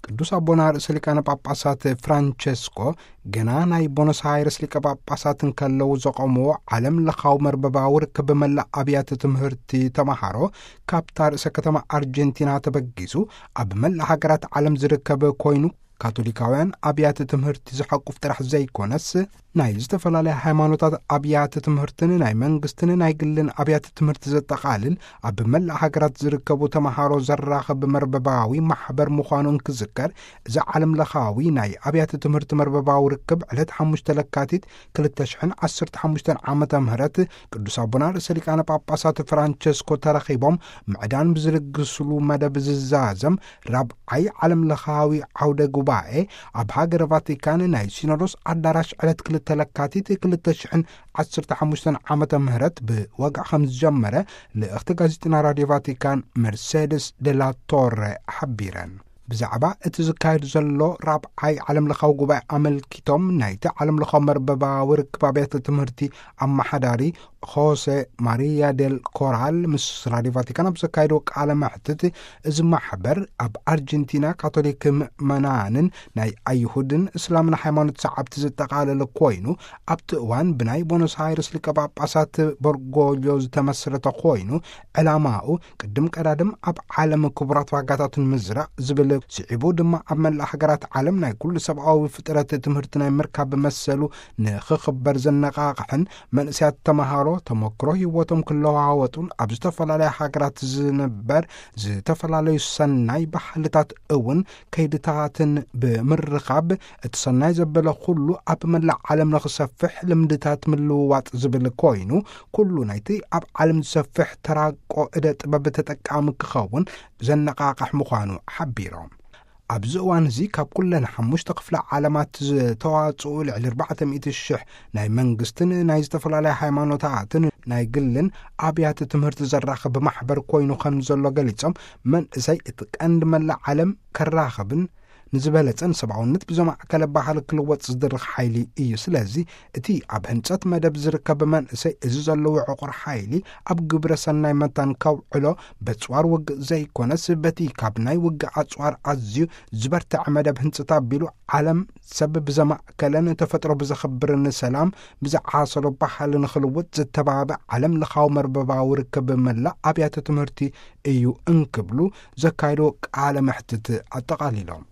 ቅዱስ ኣቦና ርእሰ ሊቃነ ጳጳሳት ፍራንቸስኮ ገና ናይ ቦኖስ ኣይረስ ሊቀ ጳጳሳት እንከለዉ ዘቖምዎ ዓለም ለኻዊ መርበባዊ ርክብ መላእ ኣብያተ ትምህርቲ ተማሃሮ ካብታ ርእሰ ከተማ ኣርጀንቲና ተበጊሱ ኣብ መላእ ሃገራት ዓለም ዝርከብ ኮይኑ፣ ካቶሊካውያን ኣብያተ ትምህርቲ ዝሓቁፍ ጥራሕ ዘይኮነስ፣ ናይ ዝተፈላለያ ሃይማኖታት ኣብያተ ትምህርትን ናይ መንግስትን ናይ ግልን ኣብያተ ትምህርቲ ዘጠቓልል ኣብ መላእ ሃገራት ዝርከቡ ተማሃሮ ዘራኽብ መርበባዊ ማሕበር ምዃኑ እንክዝከር፣ እዚ ዓለም ለኻዊ ናይ ኣብያተ ትምህርቲ መርበባዊ ርክብ ዕለት ሓሙሽተ ለካቲት ክልተ ሽሕን ዓሰርተ ሓሙሽተን ዓመተ ምህረት ቅዱስ ኣቦና ርእሰ ሊቃነ ጳጳሳት ፍራንቸስኮ ተረኺቦም ምዕዳን ብዝልግስሉ መደብ ዝዛዘም ራብዓይ ዓለም ለኻዊ ዓውደ ጉባኤ ኣብ ሃገረ ቫቲካን ናይ ሲኖዶስ ኣዳራሽ ዕለት ክልተ ለካቲት ክልተ ሽሕን ዓሰርተ ሓሙሽተን ዓመተ ምህረት ብወግዒ ከም ዝጀመረ ልእኽቲ ጋዜጠኛ ራድዮ ቫቲካን መርሴደስ ደላ ቶረ ሓቢረን። ብዛዕባ እቲ ዝካየድ ዘሎ ራብዓይ ዓለም ለኻዊ ጉባኤ ኣመልኪቶም ናይቲ ዓለም ለኻዊ መርበባዊ ርክብ ኣብያተ ትምህርቲ ኣመሓዳሪ ሆሴ ማሪያ ዴል ኮራል ምስ ራድዮ ቫቲካን ኣብ ዘካየድዎ ቃለ መሕትት፣ እዚ ማሕበር ኣብ ኣርጀንቲና ካቶሊክ ምእመናንን ናይ ኣይሁድን እስላምን ሃይማኖት ሰዓብቲ ዘጠቓለለ ኮይኑ፣ ኣብቲ እዋን ብናይ ቦኖስ ኣይረስ ሊቀ ጳጳሳት በርጎልዮ ዝተመስረተ ኮይኑ፣ ዕላማኡ ቅድም ቀዳድም ኣብ ዓለም ክቡራት ዋጋታት ንምዝራእ ዝብል፣ ስዒቡ ድማ ኣብ መላእ ሃገራት ዓለም ናይ ኩሉ ሰብኣዊ ፍጥረት ትምህርቲ ናይ ምርካብ መሰሉ ንኽኽበር ዘነቓቕሕን መንእሰያት ተመሃሮ ተመክሮ ህይወቶም ክለዋወጡን ኣብ ዝተፈላለያ ሃገራት ዝንበር ዝተፈላለዩ ሰናይ ባህልታት እውን ከይድታትን ብምርኻብ እቲ ሰናይ ዘበለ ኩሉ ኣብ መላእ ዓለም ንኽሰፍሕ ልምድታት ምልውዋጥ ዝብል ኮይኑ፣ ኩሉ ናይቲ ኣብ ዓለም ዝሰፍሕ ተራቆ እደ ጥበብ ተጠቃሚ ክኸውን ዘነቓቕሕ ምዃኑ ሓቢሮም። ኣብዚ እዋን እዚ ካብ ኩለን ሓሙሽተ ክፍለ ዓለማት ዝተዋጽኡ ልዕሊ ኣርባዕተ ሚእቲ ሽሕ ናይ መንግስትን ናይ ዝተፈላለያ ሃይማኖታትን ናይ ግልን ኣብያተ ትምህርቲ ዘራኽብ ማሕበር ኮይኑ ከም ዘሎ ገሊጾም፣ መንእሰይ እቲ ቀንዲ መላእ ዓለም ከራኽብን ንዝበለጸን ሰብኣውነት ብዘማእከለ ባህል ክልወጥ ዝድርኽ ሓይሊ እዩ። ስለዚ እቲ ኣብ ህንጸት መደብ ዝርከብ መንእሰይ እዚ ዘለዎ ዕቑር ሓይሊ ኣብ ግብረ ሰናይ መታን ከውዕሎ በጽዋር ውግእ ዘይኮነስ በቲ ካብ ናይ ውግእ ኣጽዋር ኣዝዩ ዝበርትዐ መደብ ህንጽት ኣቢሉ ዓለም ሰብ ብዘማእከለን ተፈጥሮ ብዘኽብርን ሰላም ብዝዓሰሎ ባህል ንኽልውጥ ዝተባብዕ ዓለም ለኻዊ መርበባዊ ርክብ መላእ ኣብያተ ትምህርቲ እዩ እንክብሉ ዘካየድዎ ቃለ መሕትት ኣጠቓሊሎም።